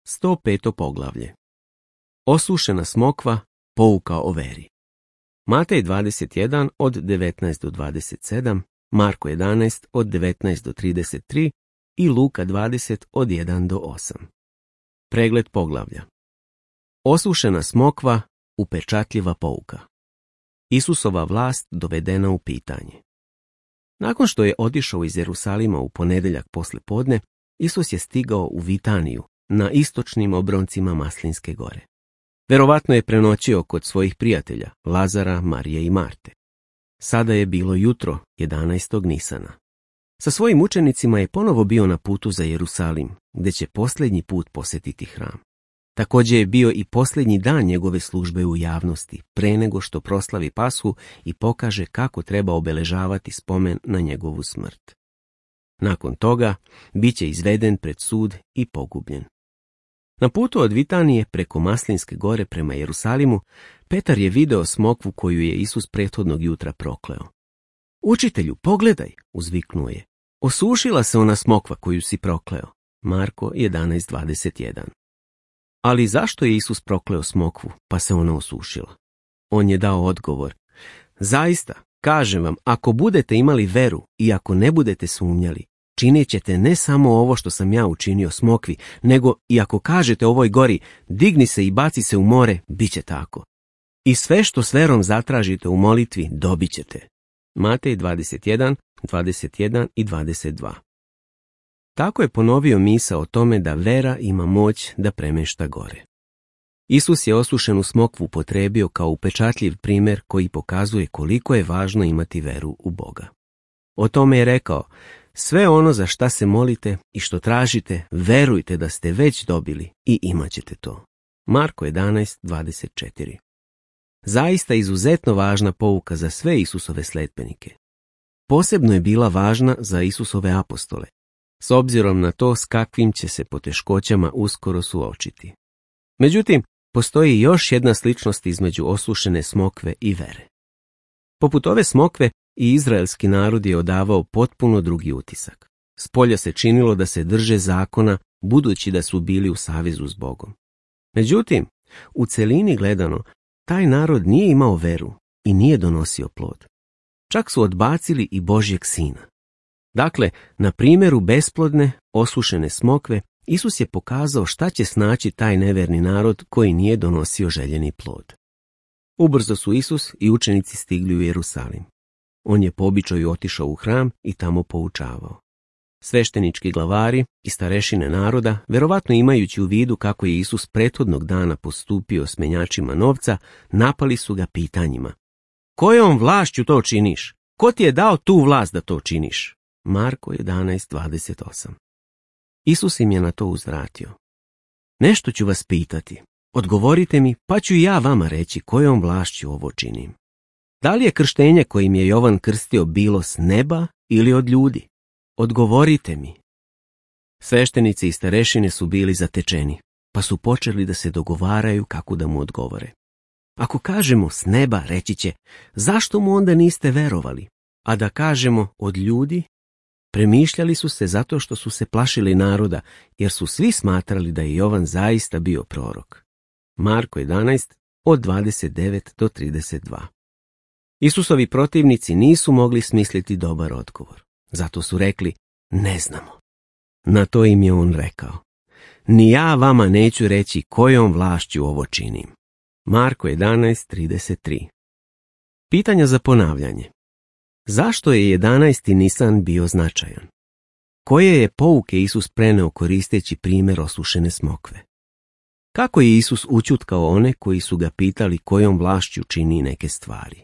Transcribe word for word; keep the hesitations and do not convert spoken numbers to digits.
sto peto poglavlje. Osušena smokva, pouka o veri. Matej dvadeset jedan od devetnaest do dvadeset sedam, Marko jedanaest od devetnaest do trideset tri i Luka dvadeset od jedan do osam. Pregled poglavlja. Osušena smokva, upečatljiva pouka. Isusova vlast dovedena u pitanje. Nakon što je otišao iz Jerusalima u ponedjeljak posle podne, Isus je stigao u Vitaniju, na istočnim obroncima Maslinske gore. Verovatno je prenoćio kod svojih prijatelja, Lazara, Marije i Marte. Sada je bilo jutro, jedanaestog Nisana. Sa svojim učenicima je ponovo bio na putu za Jerusalim, gdje će posljednji put posjetiti hram. Također je bio i posljednji dan njegove službe u javnosti, pre nego što proslavi Pashu i pokaže kako treba obeležavati spomen na njegovu smrt. Nakon toga, bit će izveden pred sud i pogubljen. Na putu od Vitanije preko Maslinske gore prema Jerusalimu, Petar je video smokvu koju je Isus prethodnog jutra prokleo. Učitelju, pogledaj, uzviknuo je. Osušila se ona smokva koju si prokleo. Marko jedanaest dvadeset jedan. Ali zašto je Isus prokleo smokvu, pa se ona osušila? On je dao odgovor. Zaista, kažem vam, ako budete imali veru i ako ne budete sumnjali, činit ćete ne samo ovo što sam ja učinio smokvi, nego i ako kažete ovoj gori, digni se i baci se u more, bit će tako. I sve što s verom zatražite u molitvi, dobit ćete. Matej dvadeset jedan, dvadeset jedan i dvadeset dva. Tako je ponovio misao o tome da vera ima moć da premješta gore. Isus je osušenu smokvu potrebio kao upečatljiv primjer koji pokazuje koliko je važno imati veru u Boga. O tome je rekao, sve ono za šta se molite i što tražite, verujte da ste već dobili i imat ćete to. Marko jedanaest dvadeset četiri. Zaista izuzetno važna pouka za sve Isusove sledbenike. Posebno je bila važna za Isusove apostole, s obzirom na to s kakvim će se poteškoćama uskoro suočiti. Međutim, postoji još jedna sličnost između osušene smokve i vere. Poput ove smokve, i izraelski narod je odavao potpuno drugi utisak. Spolja se činilo da se drže zakona, budući da su bili u savezu s Bogom. Međutim, u celini gledano, taj narod nije imao veru i nije donosio plod. Čak su odbacili i Božjeg sina. Dakle, na primjeru besplodne, osušene smokve, Isus je pokazao šta će snaći taj neverni narod koji nije donosio željeni plod. Ubrzo su Isus i učenici stigli u Jerusalim. On je po običaju otišao u hram i tamo poučavao. Sveštenički glavari i starešine naroda, verovatno imajući u vidu kako je Isus prethodnog dana postupio s menjačima novca, napali su ga pitanjima. Kojom vlašću to činiš? Ko ti je dao tu vlast da to činiš? Marko jedanaest dvadeset osam. Isus im je na to uzvratio. Nešto ću vas pitati. Odgovorite mi, pa ću i ja vama reći kojom vlašću ovo činim. Da li je krštenje kojim je Jovan krstio bilo s neba ili od ljudi? Odgovorite mi. Sveštenici i starešine su bili zatečeni, pa su počeli da se dogovaraju kako da mu odgovore. Ako kažemo s neba, reći će, zašto mu onda niste verovali? A da kažemo od ljudi? Premišljali su se zato što su se plašili naroda, jer su svi smatrali da je Jovan zaista bio prorok. Marko jedanaest od dvadeset devet do trideset dva. Isusovi protivnici nisu mogli smisliti dobar odgovor. Zato su rekli, ne znamo. Na to im je on rekao, ni ja vama neću reći kojom vlašću ovo činim. Marko jedanaest trideset tri. Pitanja za ponavljanje. Zašto je jedanaesti Nisan bio značajan? Koje je pouke Isus preneo koristeći primjer osušene smokve? Kako je Isus učutkao one koji su ga pitali kojom vlašću čini neke stvari?